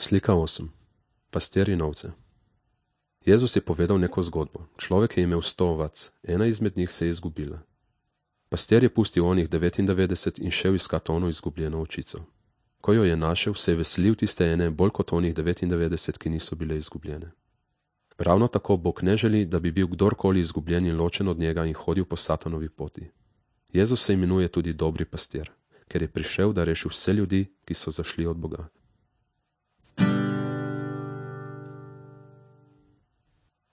Slika 8. Pastir in ovce. Jezus je povedal neko zgodbo. Človek je imel 100 ovac, ena izmed njih se je izgubila. Pastir je pustil onih 99 in šel iskat ono izgubljeno ovčico. Ko jo je našel, se je veselil tiste ene bolj kot onih 99, ki niso bile izgubljene. Ravno tako Bog ne želi, da bi bil kdorkoli izgubljen in ločen od njega in hodil po Satanovi poti. Jezus se imenuje tudi dobri pastir, ker je prišel, da reši vse ljudi, ki so zašli od Boga.